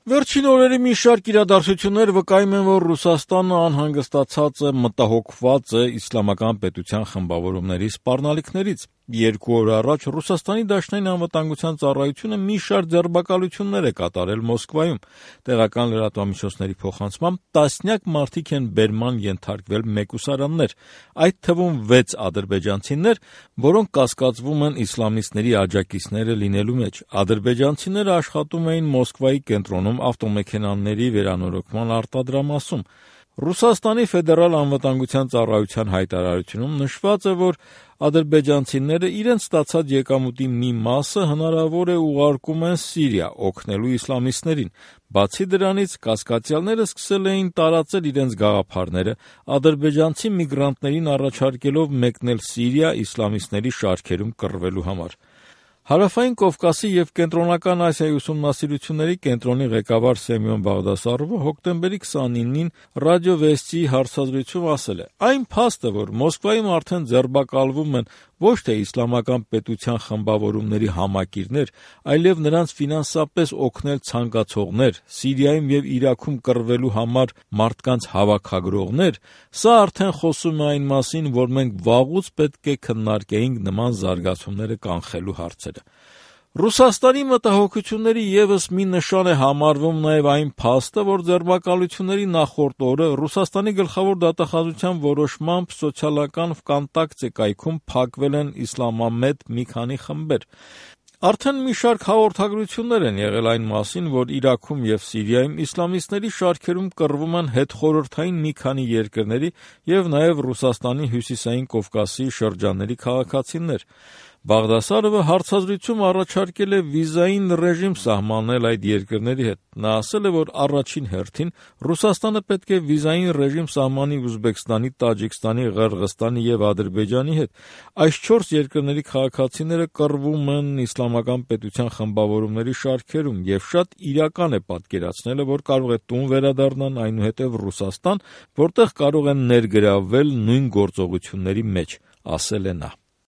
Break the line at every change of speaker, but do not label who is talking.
Վերջին օրերի մի շարք իրադարձություններ վկայում են, որ Ռուսաստանը անհանգստացած է, մտահոգված է իսլամական պետության խմբավորումների սպառնալիքներից։ 2 օր առաջ Ռուսաստանի Դաշնային անվտանգության ծառայությունը մի շարք ձերբակալություններ է կատարել Մոսկվայում։ Տեղական լրատվամիջոցների փոխանցմամբ տասնյակ մարդիկ են բերման ենթարկվել մեկուսարաններ, այդ թվում 6 ադրբեջանցիներ, որոնք կասկածվում են իսլամիստների աջակիցները լինելու մեջ։ Ադրբեջանցիները աշխատում էին Մոսկվայի կենտրոնում ավտոմեքենաների վերանորոգման արտադրամասում։ Ռուսաստանի ֆեդերալ անվտանգության ծառայության հայտարարությունում նշված է, որ ադրբեջանցիները իրենց ստացած եկամուտի մի մասը հնարավոր է ուղարկում են Սիրիա, օգնելու իսլամիստներին։ Բացի դրանից, կասկածյալները սկսել էին տարածել իրենց գաղափարները, ադրբեջանցի միգրանտներին առաջարկելով մեկնել Սիրիա իսլամիստների շարքերում կռվելու համար։ Հարավային Կովկասի և Կենտրոնական Ասիայի ուսումնասիրությունների կենտրոնի ղեկավար Սեմյոն Բաղդասարովը հոկտեմբերի 29-ին Ռադիո Վեստիի հարցազրույցում ասել է. «Այն փաստը, որ Մոսկվայում արդեն ձերբակալվում են ոչ թե իսլամական պետության խմբավորումների համակիրներ, այլև նրանց ֆինանսապես օգնել ցանկացողներ, Սիրիայում և Իրաքում կռվելու համար մարդկանց հավաքագրողներ, սա արդեն խոսում է այն մասին, որ մենք վաղուց պետք է քննարկեինք նման զարգացումները կանխելու հարցերը»։ Ռուսաստանի մտահոգությունների ևս մի նշան է համարվում նաև այն փաստը, որ ձերբակալությունների նախորդ օրը Ռուսաստանի գլխավոր դատախազության որոշմամբ սոցիալական Վկոնտակտե կայքում փակվել են իսլամամետ մի քանի խմբեր։ Արդեն մի շարք հաղորդագրություններ են եղել այն մասին, որ Իրաքում և Սիրիայում իսլամիստների շարքերում կռվում են հետխորհրդային մի քանի երկրների և նաև Ռուսաստանի հյուսիսային Կովկասի շրջանների քաղաքացիներ։ Բաղդասարովը հարցազրույցում առաջարկել է վիզային ռեժիմ սահմանել այդ երկրների հետ։ Նա ասել է, որ առաջին հերթին Ռուսաստանը պետք է վիզային ռեժիմ սահմանի Ուզբեկստանի, Տաջիկստանի, Ղրղըզստանի և Ադրբեջանի հետ։ Այս 4 երկրների քաղաքացիները կռվում են իսլամական պետության խմբավորումների շարքերում և շատ իրական է պատկերացնելը, որ կարող է տուն վերադառնան, այնուհետև Ռուսաստան, որտեղ կարող են ներգրավվել նույն գործողությունների մեջ, ասել է նա։